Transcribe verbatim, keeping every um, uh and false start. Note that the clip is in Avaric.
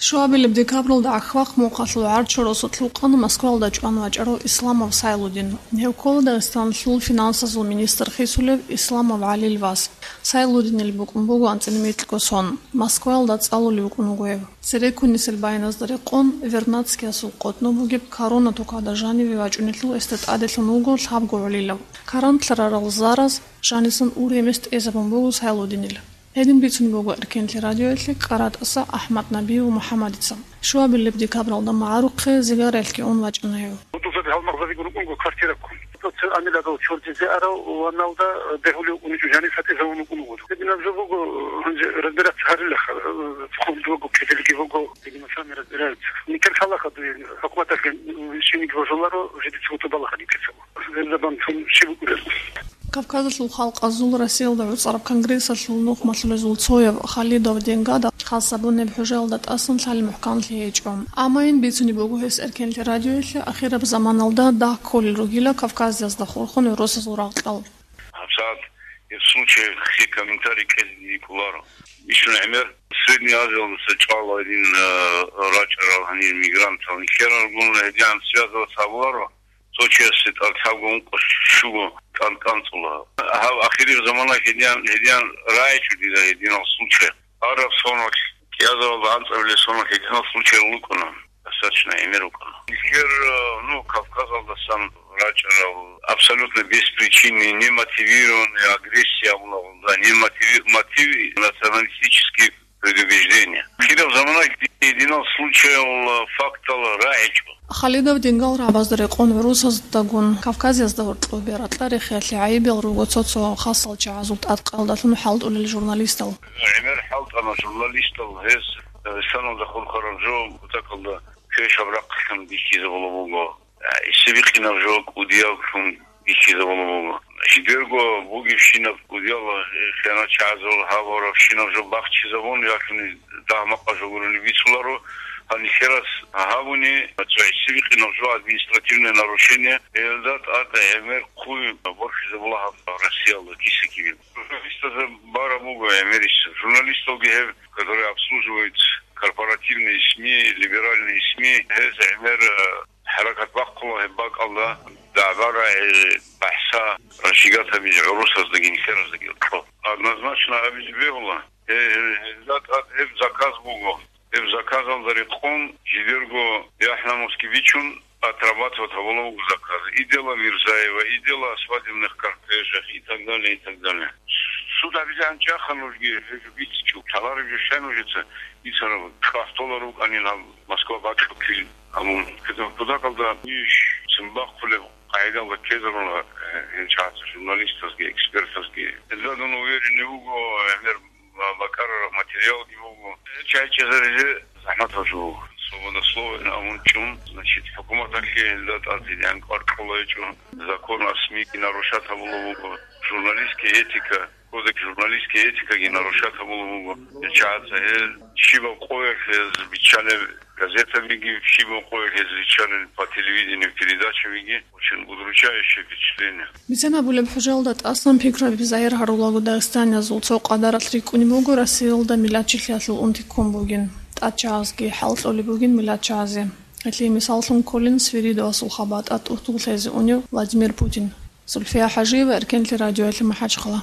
Шуабилеб декабралда ГӀахьвахъ мухъалъул гӀарччо росулъ вукъана Москваялда чӀван вачӀарав Исламов Сайлудин. Гьев ккола Дагъистаналъул финансазул министр хисулев Исламов ГӀалил вас. Сайлудинил букӀун буго анцӀила микьго сон. Москваялда цӀалулев вукӀун вуго гьев. Цереккунисел байиназда рекъон, Вернадскиясул къотӀноб бугеб Корона тукада жаниве вачӀунелъул гьесда тӀаделъун вуго лъабго гӀолилав. Карантлъарарал зараз жанисан ургьемес тӀезабун буго Сайлудинил. Гьедин бицунеб буго Эркенлъи радиоялъе КӀаратӀаса АхӀмад Набиев МухӀаммадица. Шуабилеб декабралда магӀарухъе зигаралъги ун вачӀана гьев. Гьудулзаби гьалмагъзабигун рукӀунго квартираккун. Цо-цо амилагал чордизе арав ваналда бегьулев уничӀо жаниса тӀезавун вукӀун вуго. Гьединаб жо буго, гьанже разбираться гьарилаха, фонд буго, кизилги буго, видимо, сами разбираются. Никер лъалаха дуе, хӀукуматалъе шиниги божуларо, жидеца гьутӀубалаха никер лъала. Гьелда бан цун щиб букӀурел? Кавказалъул халкъазул Россиялда гӀуцӀараб конгрессалъул нухмалъулезул цояв Халидов Денгада хас гьабунеб хӀужаялда тӀасан лъалеб мухӀканлъи гьечӀо. Амма ин бицунеб буго гьес Эркенлъи радиоялъе ахираб заманалда дагь кколел ругила Кавказазда хурхун гӀурусазул рагъ кьал. ГьабсагӀат гьеб случай хъе комментарий кьезе дие кӀоларо. Бищун гӀемер Средний Азиялдаса чӀвала гьедин, э, рачӀарал гьанир мигрантал. Нилъералгун гьедигӀан связываться гьабуларо. Цо чиясе тӀад лъабго ункъо щуго тӀан-, тӀанцӀула. Гьаб ахириб замана гьедигӀан, гьедигӀан рагӀичӀо дида гьединал случай. Араб соналъ, кӀиазаралда анцӀабилеб соналъ гьединал случай рукӀуна. Достаточно гӀемер рукӀуна. Нилъер, э, ну, Кавказалдасан рачӀарал абсолютно беспричинный, немотивированный агрессия абула, да, немотиви-, мотив националистический предубеждение. Ахираб замана гьединал случаял, э, фактал рагӀичӀо. Халидов Денгал рагӀабазда рекъон гӀурусаздагун Кавказазда гьоркьоб ракьарихъиялъе гӀайибал руго цо-цо хасал чагӀазул тӀадкъаялдалъун хӀалтӀулел журналистал. ГӀемер хӀалтӀана журналистал гьез Дагъистаналда хурхараб жо бутӀакалда квешаб рахъалъун бихьизабула буго. ГӀисибикъинаб жо кӀудиявлъун бихьизабула буго. Жидерго бугебщинаб кӀудиял хиянатчагӀазул гьабурабщинаб жо бахчизабун, ялъуни дагь-макъа жо гурони бицуларо. Гьанихьерас гьабуни, цо гӀисибикъинаб жо административное нарушение, гьелда тӀад гӀемер хъуй борхизабула гьаб Россиялда киса-кибе. Журналистазда бараб буго гӀемерисеб. Журналисталги гьеб, которые обслуживают корпоративные СМИ, либеральные СМИ, гьез гӀемер, э, хӀаракат бахъула гьеб бакӀалда, дагӀба-рагӀи, бахӀса, разжигать гьабизе гӀурусаздаги нилъераздаги кьо. Однозначно гьабизе бегьула. Гье-, гье-, гьезда тӀад гьеб заказ буго. Гьеб заказалда рекъон жидерго яхӀ-намусги бичун, отрабатывать гьабула буго заказ. И дело Мирзаева, и дело о свадебных кортежах и так далее, и так далее. Суд гьабизе гьанчӀаха нужги, гьеб жо бицичӀо. Лъалареб жо щай нужеца бицараб? ШвагьтӀолар рукӀанин гьаб Москва бакьулъил гьабун. Кутакалда иш цин бахъулеб къагӀидалда ккезарула, э, гьел чагӀаца журналистазги, экспертазги. Гьезда дун уверенный вуго, гӀемер ва бакӀарараб материалги буго. ЧайчӀезаризе захӀматаб жо буго. Свобода слова абун чӀун, значит, хӀукуматалъе гьелда тӀад гьедигӀан кӀвар кьола гьечӀо. Закон о СМИ-ги нарушать гьабула буго. Журналистская этика, кодекс журналистской этикаги нарушать гьабула буго. ЧагӀаца гьел щибаб къоялъ гьез биччалеб газетабиги, щибаб къоялъ гьез биччалел по телевидению передачабиги, очень удручающее впечатление. Бицен абулеб, хӀужаялда тӀасан пикраби загьир гьарулаго дагъистаниязул цо къадаралъ рикӀкӀунеб буго Россиялда миллатчилъиялъул унти ккун бугин, тӀадчагӀазги хӀалтӀулеб бугин миллатчагӀазе. Гьелъие мисаллъун кколин Свиридовасул хабатӀа тӀутӀул лъезе унев Владимир Путин. Зульфия ХӀажиева, Эркенлъи радиоялъе, МахӀачхъала.